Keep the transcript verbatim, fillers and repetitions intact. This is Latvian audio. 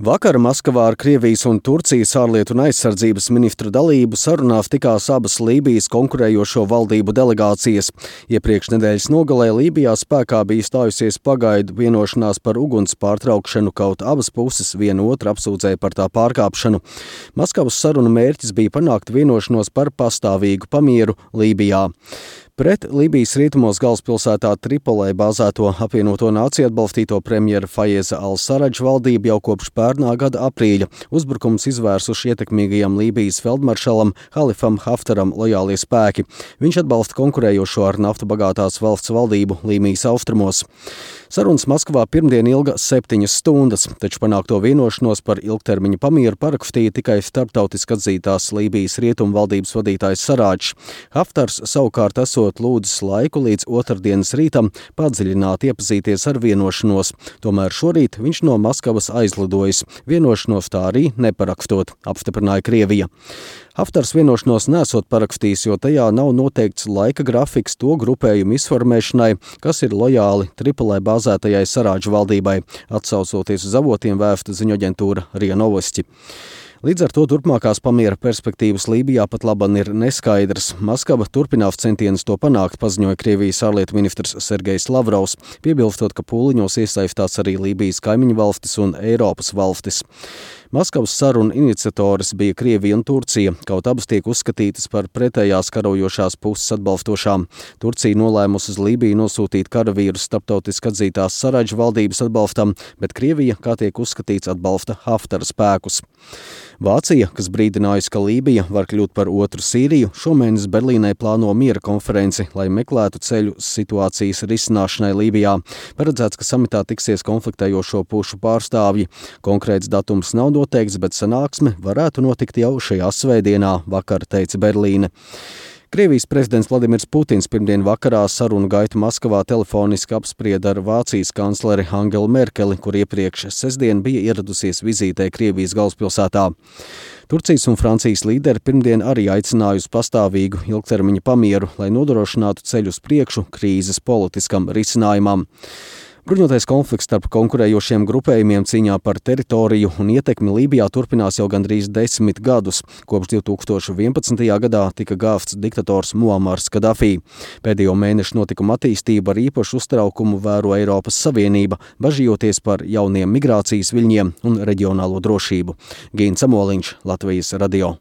Vakar Maskavā ar Krievijas un Turcijas ārlietu un aizsardzības ministru dalību sarunās tikās abas Lībijas konkurējošo valdību delegācijas. Iepriekš nedēļas nogalē Lībijā spēkā bija stājusies pagaidu vienošanās par uguns pārtraukšanu, kaut abas puses vienu otru apsūdzēja par tā pārkāpšanu. Maskavas sarunu mērķis bija panākt vienošanos par pastāvīgu pamieru Lībijā. Pret Lībijas rietumos galvaspilsētā Tripolē bāzēto apvienoto nāciju atbalstīto premjera Fajeza al-Saradža valdību jau kopš pērnā gada aprīļa uzbrukums izvērsuši ietekmīgajam Lībijas feldmaršalam Halifam Haftaram lojālie spēki. Viņš atbalsta konkurējošo ar naftu bagātās valsts valdību Līmijas austrumos. Sarunas Maskavā pirmdien ilga septiņas stundas, taču panākto vienošanos par ilgtermiņa pamieru parakstīja tikai starptautiski atzītās Lībijas rietumu valdības vadītājs Saradžs. Haftars savukārt esot lūdzis laiku līdz otrdienas rītam padziļināt iepazīties ar vienošanos. Tomēr šorīt viņš no Maskavas aizlidojis. Vienošanos tā arī neparakstot, apstiprināja Krievija. Haftars vienošanos nesot parakstījis, jo tajā nav noteikts laika grafiks to grupējumu izformēšanai, kas ir lojāli Tripolē bāzētajai Saradža valdībai, atsaucoties uz avotiem vēsta ziņoaģentūra RIA Novosti. Līdz ar to turpmākās pamiera perspektīvas Lībijā pat laban ir neskaidrs. Maskava turpinās centienus to panākt, paziņoja Krievijas ārlietu ministrs Sergejs Lavrovs, piebilstot, ka pūliņos iesaistās arī Lībijas kaimiņu valstis un Eiropas valstis. Maskavas sarunu iniciatoris bija Krievija un Turcija, kaut abas tiek uzskatītas par pretējās karojošās puses atbalstošām. Turcija nolēmusi uz Lībiju nosūtīt karavīrus starptautiski atzītās Saradža valdības atbalstam, bet Krievija, kā tiek uzskatīts, atbalsta Haftara spēkus. Vācija, kas brīdinājusi, ka Lībija var kļūt par otru Sīriju, šomēnes Berlīnē plāno miera konferenci, lai meklētu ceļu situācijas risināšanai Lībijā. Paredzēts, ka samitā tiksies konfliktējošo pušu pārstāvji. Konkrēts datums nav noteikts, bet sanāksme varētu notikt jau šajā svētdienā, vakar teica Berlīne. Krievijas prezidents Vladimirs Putins pirmdien vakarā sarunu gaitu Maskavā telefoniski apsprieda ar Vācijas kancleri Angelu Merkeli, kur iepriekš sestdien bija ieradusies vizītē Krievijas galvaspilsētā. Turcijas un Francijas līderi pirmdien arī aicināja uz pastāvīgu ilgtermiņa pamieru, lai nodrošinātu ceļu uz priekšu krīzes politiskam risinājumam. Bruņotais konflikts starp konkurējošiem grupējumiem cīņā par teritoriju un ietekmi Lībijā turpinās jau gandrīz desmit gadus. Kopš divi tūkstoši vienpadsmitajā gadā tika gāvts diktators Muamars Kadafī. Pēdējo mēnešu notikumu attīstību ar īpašu uztraukumu vēro Eiropas Savienība, bažījoties par jauniem migrācijas viļņiem un reģionālo drošību. Gīns Amoliņš, Latvijas radio.